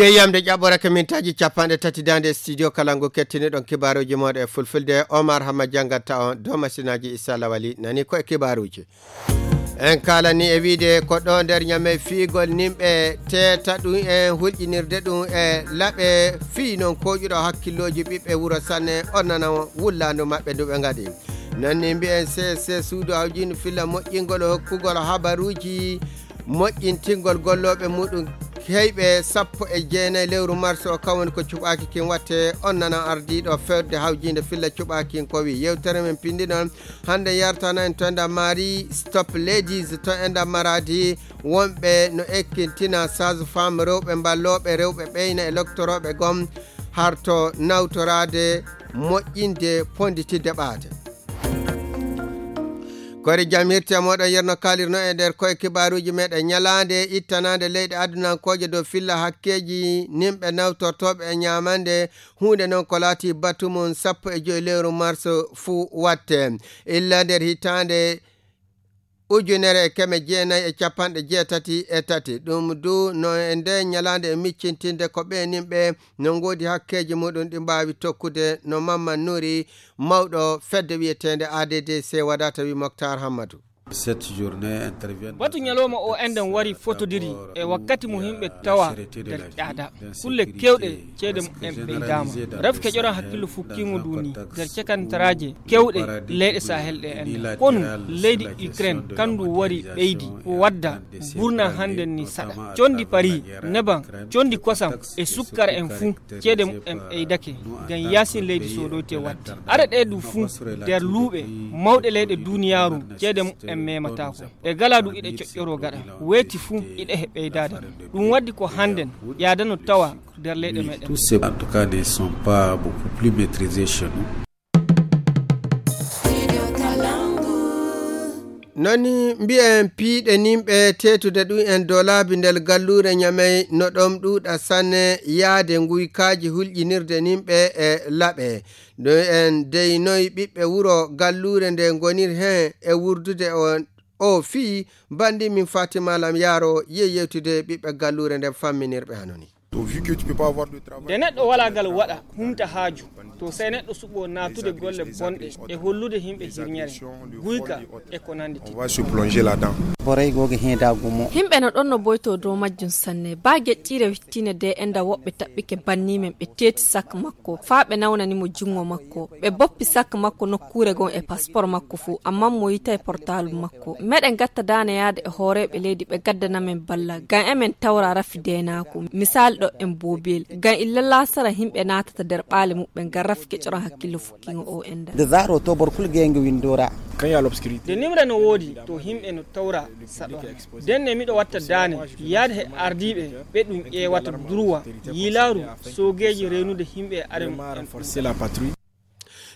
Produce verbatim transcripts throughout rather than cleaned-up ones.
E yamde ƴaɓɓorake mintaaji capanɗe tati daande studio kala ngu kettiniɗon kibaaruuji mooɗon e fulfulde, Omar Hamma janngata on dow masinaaji Issa Lawali nani ko e kibaaruuji. En kaalani e wiide ko ɗo nder Ñamey fiigol nimɓe teeta ɗum en hulƴinirde ɗum e laɓe fii noon koƴuɗo hakkillooji ɓiɓɓe wuro Sanne on nana wullaandu maɓɓe ndu ɓe ngaɗi. Noon ni mbiyen C S C suudu hawjiindu filla moƴƴingol hokkugol habaruuji moƴƴintingol gollooɓe muɗum heyɓe sappo e jeenayi lewru mars o, kan woni ko cuɓaaki kin watte. On nana ardiiɗo fewde hawjiinde filla cuɓaaki kin ko wi yewtere men pinndi noon hannde yartana en to enda mari stop ladies to enda maradi wonɓe no ekkintina sage femme rewɓe mballooɓe rewɓe ɓeyna e loktorooɓe gom harto nawtoraade moƴƴinde ponditidde ɓaate. Kori jam hirti e moɗon yerno kalirno e nder koye kibaaruuji meɗen ñalaande ittanaande leyɗe adunankooje dow filla hakkeeji nimɓe nawtortooɓe e ñaamande huunde noon ko laati batu mum sappo e joyi lewru mars fuu watte illa nder hitaande ujunere e keme jeenayi e capanɗe jeetati e tati. Ɗum du no e nde ñalaande e miccintinde ko ɓe nimɓe no ngoodi hakkeeji muɗum ɗi mbaawi tokkude no Mamman Nuri mawɗo fedde wiyeteende A D D C wadata wi Moktar Hammadu. Batu ñalawma o enɗen wari fotodiri e wakkati mo yimɓe tawa nder ƴaada. Kulle kewɗe ceede mumen ɓeydaama. Ref keƴoran hakkillo fukkiingo ndu ni nder cakantaraaje kewɗe leyɗe Sahel ɗe enɗen. Konu leydi Ukraine kandu wari ɓeydi ko wadda burna hannden ni saɗa. Condi Paris, neban, condi kosam e sukkara en fuu ceede mumen ɓeydake ngam yaasin leydi soodoyte waɗde. Ara ɗe du fuu nder luuɓe mawɗe leyɗe duuniyaaru ceede mumen memataako. Ɗe galaa du iɗe coƴƴoroo gaɗa. Weeti fuu iɗe he ɓeydaade. Ɗum waddi ko hannden ƴaada no tawa nder leyɗe meɗen. Tous ces en tout cas ne sont pas beaucoup plus maîtrisés chez nous. Noni mbiyen piiɗe nimɓe teetude ɗum en dow laabi ndel galluure Ñamey no ɗom ɗuuɗa sanne yaade nguykaaji hulƴinirde nimɓe e laɓe. Ɗum en dey noy ɓiɓɓe wuro galluure nde ngonir heen e wurdude o o fii banndi min Fatima Lam Yaaro yehi yewtude ɓiɓɓe galluure nden famminirɓe hanoni. Nde neɗɗo walaa ngal waɗa humta haaju to sey neɗɗo suɓoo naatude golle bonɗe e hollude yimɓe hirñere guyka e ko nanndi ti. Borey googa heedaagu mo. Yimɓe no ɗon no boytoo dow majjum sanne baa geƴƴiire wittine de enda woɓɓe taɓɓike banni men ɓe teeti sak makko faa ɓe nawnani mo junngo makko ɓe boppi sak makko nokkuure gon e paspor makko fuu amman mo yitay portaalu makko. Meɗen gatta daane yaade e hooreeɓe leydi ɓe gaddana men balla ngam emen tawra rafi deenaaku misaali ɗo en boobiyel ngam illa laasara yimɓe naatata nder ɓaale muɓɓen ngam rafi kecoran hakkillo fukkiingo o enda. Nde zaaro to borkul geenge windoora. Nde nimre no woodi to yimɓe no tawra saɗora. Nden ne miɗo watta daane yaade he ardiiɓe ɓe ɗum ƴeewata durwa yiilaaru soogeeji reenude yimɓe e are muɓɓen.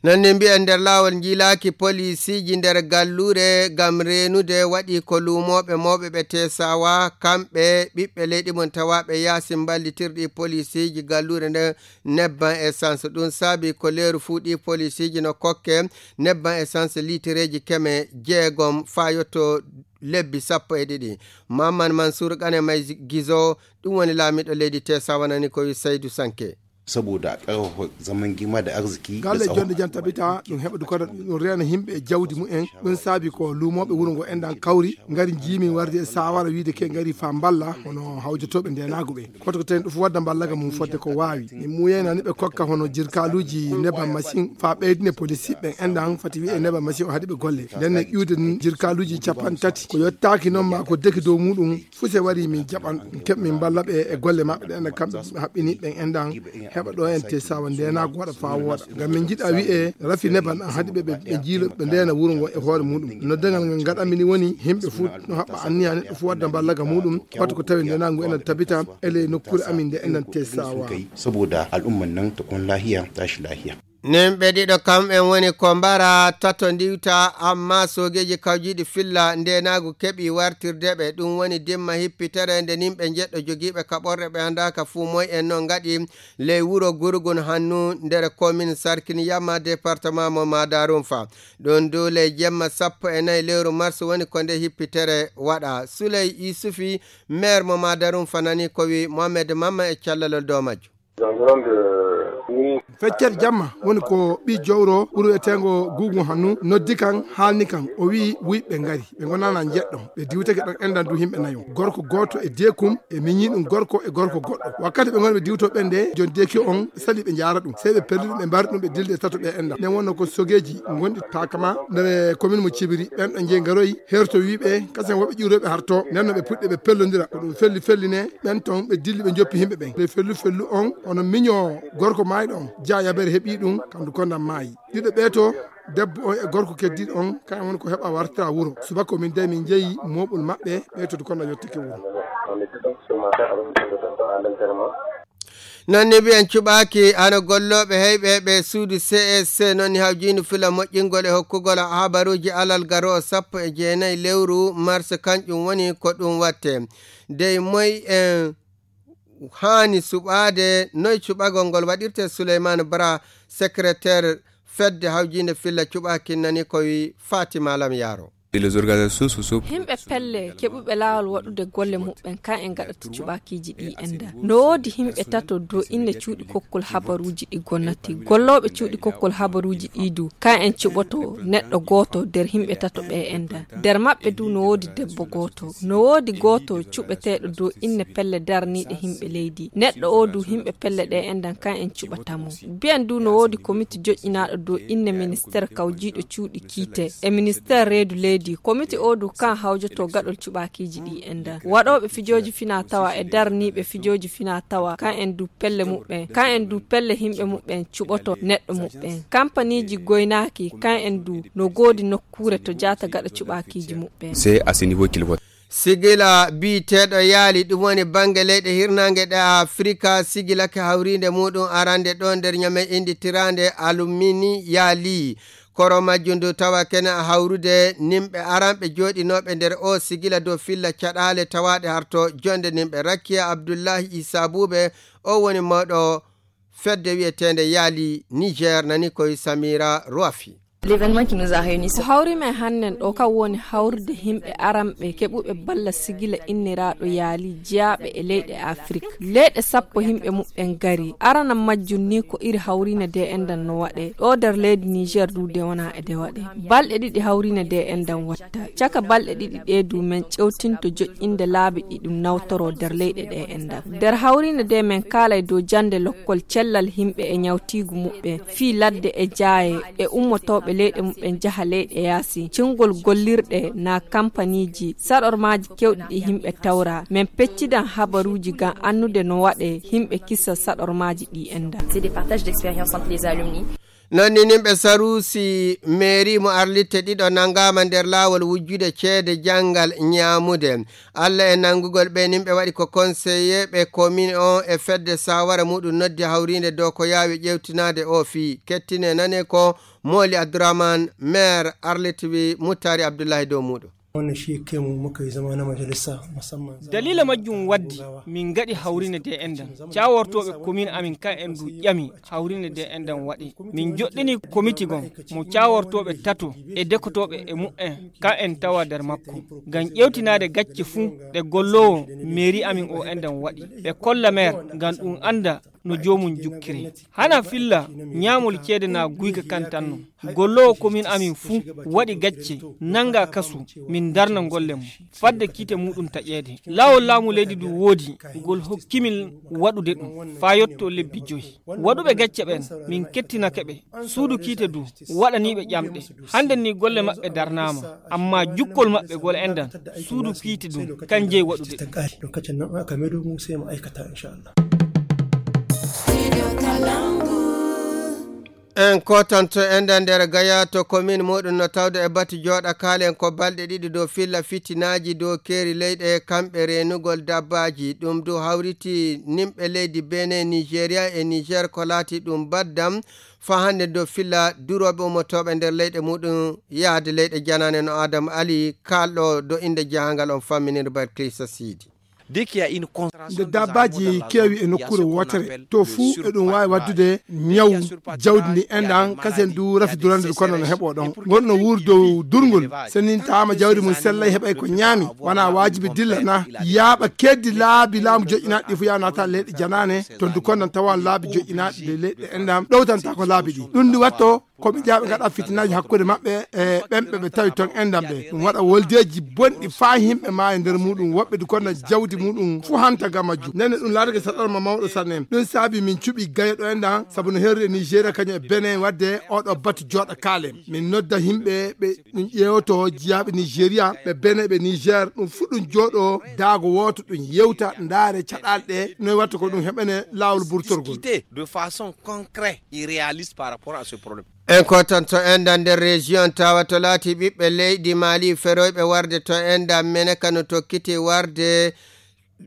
Noon ne mbiyen nder laawol njiilaaki poliisiiji nder galluure ngam reenude waɗi ko luumooɓe mawɓe ɓe teesawa kamɓe ɓiɓɓe leydi mum tawaaɓe yaasi mballitirɗi poliisiiji galluure nden nebban essence ɗum saabi ko leeru fuu ɗi poliisiiji no kokke nebban essence liitireeji keme jeegom faa yotto lebbi sappo e ɗiɗi. Mamman Mansuur Qane may Gizo ɗum woni laamiiɗo leydi teesawa nani ko wi Saydu Sanke. Saboda ƙarfafa zaman gima da arziki da galle tsaro. Jonde jan tabita ɗum heɓa dukata ɗum reena yimɓe e jawdi mumen ɗum saabi ko luumooɓe wuro ngo enɗan kawri ngari njiimi warde e saawara wiide ke ngari faa mballa hono hawjotooɓe ndeenaagu ɓe koto ko tawi ɗum fof wadda mballaga mum fodde ko waawi min muuyayna ni ɓe kokka hono jirkaaluuji neban machine faa ɓeydine polisiiɓe ɓen enɗan fati wiye neban machine o haɗi ɓe golle nden ne ƴuude jirkaaluuji capanɗe tati ko yottaaki noon ma ko deki dow muɗum fuse wari min jaɓan keɓ min mballa ɓe e golle maɓɓe ɗen kamɓe haɓɓini ɓen enɗan heɓa ɗo en te sawa ndenaagu waɗa faa wooɗa ngam min njiɗa wi'e rafi neban an haɗi ɓe ɓe jiilo ɓe ndena wuro ngo e hoore muɗum noddangal ngal ngaɗanmi ni woni yimɓe fuu no haɓɓa anniya neɗɗo fuu wadda mballaga muɗum wata ko tawi ndenaagu enen tabita e ley nokkuure amin nde enen te sawa. Saboda al'umman nan ta kun lahiya tashi lahiya. Nimɓe ɗiɗo kamɓen woni ko mbara tato ndiwta, amma soogeeji kawjiiɗi filla ndeenaagu keɓi wartirde ɓe. Ɗum woni dimma hippitere nde nimɓe njeɗɗo jogiiɓe kaɓorɗe ɓe anndaaka fuu moy en non ngaɗi ley wuro Gurgun Hannu nder komin Sarkin Yamma, département mo Madarunfa. Ɗon dow ley jemma sappo e nayi lewru mars woni ko nde hippitere waɗa. Suley Yusufi, maire mo Madarunfa, nani ko wi Mohamed Mamma e callalol dow majjo. Feccere jamma woni ko ɓi jowro ɓuri wiyeteengo Guugu Hannu noddi kan, haalni kan, o wi'i wuyɓe ngari, ɓe ngonana njeɗɗo, ɓe diwtake ɗon endan du himɓe nayo, gorko gooto e deekum, e miñi ɗum gorko e gorko goɗɗo. Wakkati ɓe ngoni ɓe diwto ɓen de, jon deeki on sali ɓe njaara ɗum, sey ɓe pelli ɗum, ɓe mbari ɗum, ɓe dilde tato ɓe endan. Nden wonno ko sogeeji ngonɗi takama nder komin mo Cibiri, ɓen ɗo jeyi ngaroyi, herto wiɓe kasen woɓɓe ƴiwroɓe harto, nden no ɓe puɗɗi ɓe pellondira, ko ɗum felli felline, ɓen ton ɓe dilli ɓe joppi himɓe ɓen. Ɓe fellu fellu on, hono miño gorko maayɗo on, Jaa Yabere heɓi ɗum, kandu kondam maayi. Ɗiɗo ɓee to, debbo on e gorko keddiiɗo on, kañum woni ko heɓa wartira wuro. Subaka o min dey min jeyi mooɓol maɓɓe, ɓee to du kondam yottike wuro. Non ni mbiyen cuɓaaki hano gollooɓe heyɓe ɓe suudu C S C, non ni hawjiindu fila moƴƴingol e hokkugol habaruuji alal garoowo sappo e jeenayi lewru mars, kanƴum woni ko ɗum watte. Dey moy en haani suɓaade, noy cuɓagol ngol waɗirte? Suleymaan Bara, secrétaire fedde hawjiinde filla cuɓaaki, nani ko wi Fatima Lam Yaaro. Himɓe pelle keɓuɓe laawol waɗude golle muɓɓen kan en gaɗata cuɓakiiji ɗi enda. No woodi himɓe tato do inne cuuɗi kokkol habaruuji ɗi gonnati. Gollooɓe cuuɗi kokkol habaruuji ɗi du kan en cuɓoto neɗɗo gooto nder himɓe tato ɓe enda. Nder maɓɓe du no woodi debbo gooto. No woodi gooto cuɓeteeɗo do inne pelle darniiɗe himɓe leydi. Neɗɗo o du himɓe pelle ɗe endan kan en cuɓata mo. Mbiyen du no woodi komiti joƴƴinaaɗo do inne ministeer kawjiiɗo cuuɗi kiite e ministeer reedu leydi. Komiti o du kan hawjoto gaɗol cuɓaakiiji ɗi endan. Waɗooɓe fijooji fina tawa e darniiɓe fijooji fina tawa kan en du pelle muɓɓen. Kan en du pelle himɓe muɓɓen cuɓoto neɗɗo muɓɓen. Kampaniiji goynaaki kan en du no goodi nokkuure to jaata gaɗa cuɓaakiiji muɓɓen. Sigila biyeteeɗo yaali, ɗum woni bannge leyɗe hirnaange ɗe Afrika, sigilake hawriinde muɗum arande ɗo nder Ñamey innditiraande Alumini yaali. Koro majjum ndu tawa kene a hawrude nimɓe aranɓe jooɗinooɓe nder o sigila dow filla caɗaale tawaaɗe harto jonde nimɓe. Rakiya Abdullahi Isa Buube, o woni mawɗo fedde wiyeteende yaali Niger, nani koye Samira Roafi. Ko hawri men hannen ɗo kan woni hawrude himɓe aranɓe keɓuɓe balla sigila inniraaɗo yaali jeyaaɓe e leyɗe Afrik. Leyɗe sappo himɓe muɓɓen gari. Arana majjum ni ko iri hawriine de endan no waɗe. Ɗo nder leydi Niger du de wona e de waɗe. Balɗe ɗiɗi hawriine de endan watta. Caka balɗe ɗiɗi ɗe du men ƴewtinto joƴƴinde laabi ɗi ɗum nawtoro nder leyɗe ɗe endan. Nder hawriine de men kaalay dow jannde lokkol cellal himɓe e ñawtiigu muɓɓen. Fii ladde e jaaye e ummotooɓe leyɗe muɓɓen jaha leyɗe yaasi. Cingol gollirɗe na kampaniiji saɗormaaji kewɗi ɗi himɓe tawra. Men peccidan habaruuji ngam annude no waɗe himɓe kisa saɗormaaji ɗi endan. Non ni nimɓe Saruusi meeri mo Arlitte ɗiɗo nanngaama nder laawol wujjude ceede janngal ñaamude. Alla e nanngugol ɓe nimɓe waɗi ko konseyeeɓe komin o e fedde saawara muɗum noddi hawriinde dow ko yaawi ƴeewtinaade o fii. Kettine nane ko Mooli Abdurahman, meer Arlitte wi Muttaari Abdullahi dow muɗum. Daliila majjum waddi min ngaɗi hawriine de endan. Caawortooɓe komin amin kan en du ƴami hawriine de endan waɗi. Min joɗɗini komiti gon mo caawortooɓe tato e dekotooɓe e mu'en kan en tawa nder makko. Ngam ƴeewtinaade gacce fuu ɗe golloowo meeri amin o endan waɗi. Ɓe kolla meer ngam ɗum annda no joomum jukkiri. Hana filla ñaamol ceede na guyka kan tan no. Golloowo komin amin fuu waɗi gacce nannga kasu min darna golle mum fadde kiite muɗum taƴeede. Laawol laamu leydi du woodi ngol hokkimin waɗude ɗum faa yotto lebbi joyi. Waɗuɓe gacce ɓen min kettinake ɓe. Suudu kiite du waɗaniiɓe ƴamɗe. Hannde ni golle maɓɓe darnaama amma jukkol maɓɓe gol endan suudu kiite dum kan jeyi waɗude. En kotanto enda nder Gaya to komin muɗum no tawde e batu jooɗa kaalen ko balɗe ɗiɗi dow filla fitinaaji dow keeri leyɗe kamɓe reenugol dabbaaji. Ɗum du hawriti nimɓe leydi Benin, Nigeria e Niger ko laati ɗum baddam faa hannde dow filla durooɓe ummotooɓe nder leyɗe muɗum yahde leyɗe janaane no Adam Ali kaalɗo do innde jahangal on famminir Balkisa Siidi. Nde dabbaaji keewi e nokkuure wootere, to fuu eɗum waawi waɗdude ñawu jawdi ndi enɗan, kasen du rafi durande ndu kono no heɓoo ɗon. Ngonɗo wuur dow durngol, senintaama jawdi mum sellay heɓay ko ñaami, wanaa waajibi dilla na yaaɓa keddi laabi laamu joƴƴinaaɗi ɗi fuu yaha naata leyɗe janaane, to ndu kono tawan laabi joƴƴinaaɗi ɗi leyɗe enɗan ɗowtantaa ko laabi ɗi. Ɗum ndi watto ko ɓe jaaɓe ngaɗa fitinaaji hakkunde maɓɓe e ɓen ɓe ɓe tawi ton enɗan ɓe. Ɗum waɗa woldeeji bonɗi faa yimɓe maaya nder muɗum, woɓɓe du konna jawdi muɗum fuu hanta ga majjum. Nden ɗum laatake saɗarma mawɗo sanne. Ɗum saabi min cuɓi Gaya ɗo enɗan, sabu no heerude Nigeria kañum e Benin waɗde oɗo batu jooɗa kaalen. Min nodda yimɓe ɓe ɗum ƴeewoto jiyaaɓe Nigeria, ɓe Benin, ɓe Niger, ɗum fuu ɗum jooɗo daago wooto ɗum yewta, ndaare caɗaale ɗe, noy watta ko ɗum heɓane laawol burtorgol. Discuter de façon concrète et réaliste par rapport à ce problème. En kotanto enɗan nder région tawa to laati ɓiɓɓe leydi Mali feroyɓe warde to enɗan mene kano tokkiti warde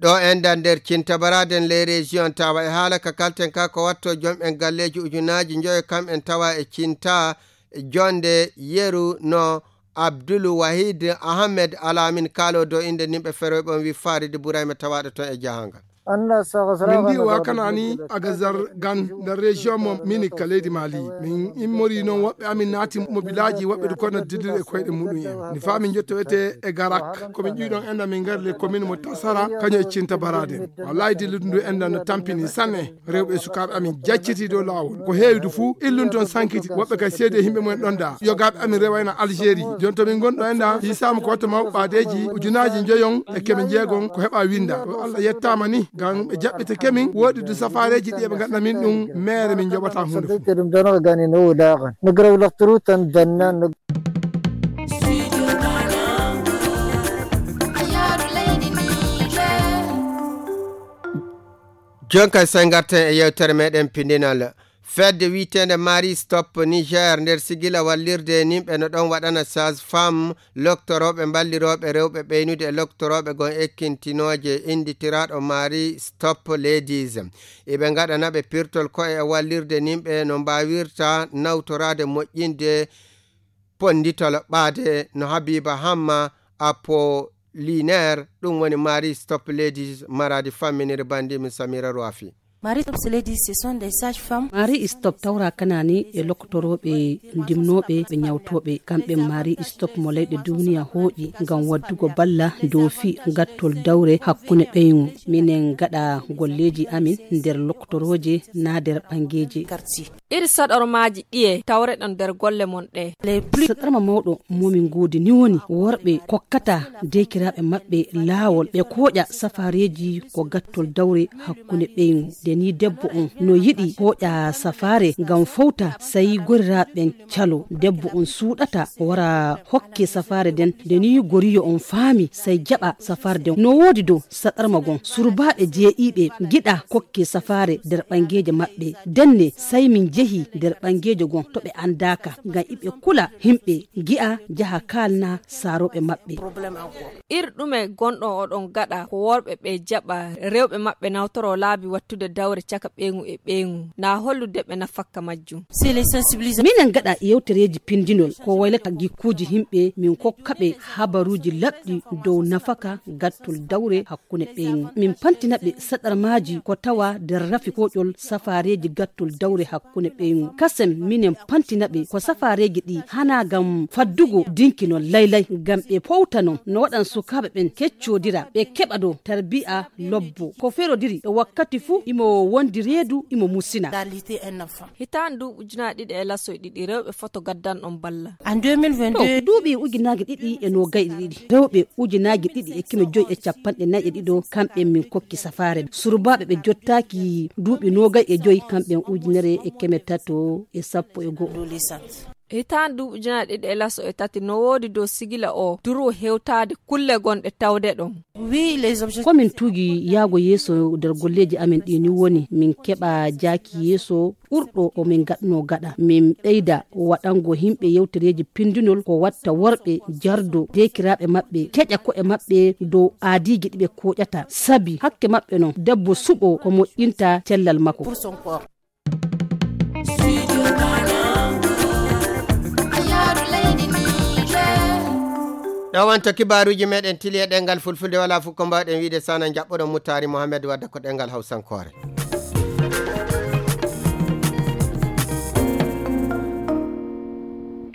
ɗo enɗan nder cintabaraden les région tawa e haala ka kalten ka ko watto jom en galleeji ujunaaji njoyo kam en tawa e cinta jonde yeru no Abdul Wahid Ahmed Alamin kaalo do innde nimɓe feroyɓe on wi Farid Burayma tawaaɗo ton e jahangal. Min mbi wa kanani agazar gan nder région mo mini ka leydi Mali. Min immori noon woɓɓe amin naati mobilaaji woɓɓe du kono dilliri e koyɗe muɗum en. Ni faa min jotto wete e Garak. Ko min ƴuwi ɗon enɗan min ngari le commune mo Tasara kañum e cinta baraden. Wallahi dilludu ndu enɗan no tampini sanne. Rewɓe e sukaaɓe amin jacciti dow laawol. Ko heewi du fuu illun ton sankiti. Woɓɓe kay seedi e yimɓe mumen ɗon da. Yogaaɓe amin rewayna Algérie. Jon to min ngonɗo enɗan hiisaama ko watta mawɓe ɓaadeeji ujunaaji njoyon e keme njeegon ko heɓa winda. To Allah yettaama ni ngam ɓe jaɓɓitake min. Woodi du safaareeji ɗi eɓe ngaɗna min ɗum meere min njoɓata huunde fuu. Ɗum ɗon ko gani no wulaaxan. No garaw laxturu tan danna no. Jonka sey ngarten e yewtere meɗen pindinal. Fedde wi'eteende Marie Stop Niger nder sigila wallirde nimɓe no ɗon waɗana sage femme, loktorooɓe mballirooɓe rewɓe ɓeynude e loktorooɓe gon ekkintinooje innditiraaɗo Marie Stop Ladies. Iɓe ngaɗana ɓe pirtol ko'e e wallirde nimɓe no mbaawirta nawtoraade moƴƴinde ponnditol ɓaade no Habiba Hamma Apollinaire, ɗum woni Marie Stop Ladies, maraadi famminiri banndi min Samira Roafi. Marie Stop Ladies, ce sont des sages-femmes. Marie Stop tawra kanani e loktorooɓe ndimnooɓe ɓe ñawtooɓe. Kamɓe Marie Stop mo leyɗe duniya hooƴi ngam waddugo balla dow fi gattol dawre hakkunde ɓeyngu. Minen gaɗa golleeji amin nder loktorooje naa nder ɓangeeje. Iri saɗormaaji ɗiye tawreɗon nder golle mon ɗe? Saɗarma mawɗo momin ngoodi ni woni worɓe kokkata deekiraaɓe maɓɓe laawol ɓe kooƴa safaareeji ko gattol dawre hakkunde ɓeyngu. Nde ni debbo on no yiɗi kooƴa safaare ngam fowta, sai goriraaɓe ɓen calo. Debbo on suuɗata wara hokke safaare nden. Nde ni goriyo on faami, sai jaɓa safaare nden. No woodi dow saɗarma gon surbaaɓe jeeɗiiɓe giɗa kokke safaare nder ɓangeeje maɓɓe. Denne sai min jehi nder ɓangeeje gon to ɓe andaaka, ngam iɓe kula himɓe gi'a jaha kaalna saarooɓe maɓɓe. Ir ɗume gonɗon oɗon gaɗa ko worɓe ɓe jaɓa rewɓe maɓɓe nawtoro laabi wattude dawre caka ɓeyngu e ɓeyngu, na hollude ɓe nafakka majjum? Minen gaɗa yewtereeji pindinol ko waylata gikkuuji himɓe, min kokka ɓe habaruuji laɓɗi dow nafaka gattol dawre hakkunde ɓeyngu. Min pantina ɓe saɗarmaaji ko tawa nder rafi koƴol safaareeji gattol dawre hakkunde ɓeyngu. Kasen minen pantina ɓe ko safaareeji ɗi hana ngam faddugo dinkinol laylay, ngam ɓe powta non no waɗan sukaaɓe ɓen keccodira, ɓe keɓa dow tarbiya lobbo. Ko ferodiri e wakkati fuu imo wondi reedu imo musina. Hitaande duuɓi ujunaaji ɗiɗi e lasoy ɗiɗi, rewɓe foto gaddanɗon balla. To, duuɓi ujunaaji ɗiɗi e noogay e ɗiɗi, rewɓe ujunaaji ɗiɗi e keme joy e capanɗe nayi e ɗiɗo, kamɓe min kokki safaare. Surbaaɓe ɓe jottaaki duuɓi noogay e joy, kamɓe ujunere e keme tato e sappo e go'o. Hitaande duuɓi ujunaaje ɗiɗi e laso e tati no woodi dow sigila o duru hewtaade kulle gonɗe tawde ɗon. Ko min tuugi yaago yeeso nder golleeji amen ɗi ni woni min keɓa jaaki yeeso ɓurɗo ko min gaɗno gaɗa. Min ɓeyda waɗango yimɓe yewtereeji pindunol ko watta worɓe jardo deekiraaɓe maɓɓe, keƴa ko'e maɓɓe dow aadiiji ɗi ɓe kooƴata. Sabi hakke maɓɓe non, debbo suɓo ko moƴƴinta cellal makko. Ɗo wonto kibaaruuji meɗen tili e ɗengal fulfulde, wala fof ko mbawɗen wiide sana jaɓɓoɗon Mutaari Mohamed wadda ko ɗengal hawsankoore.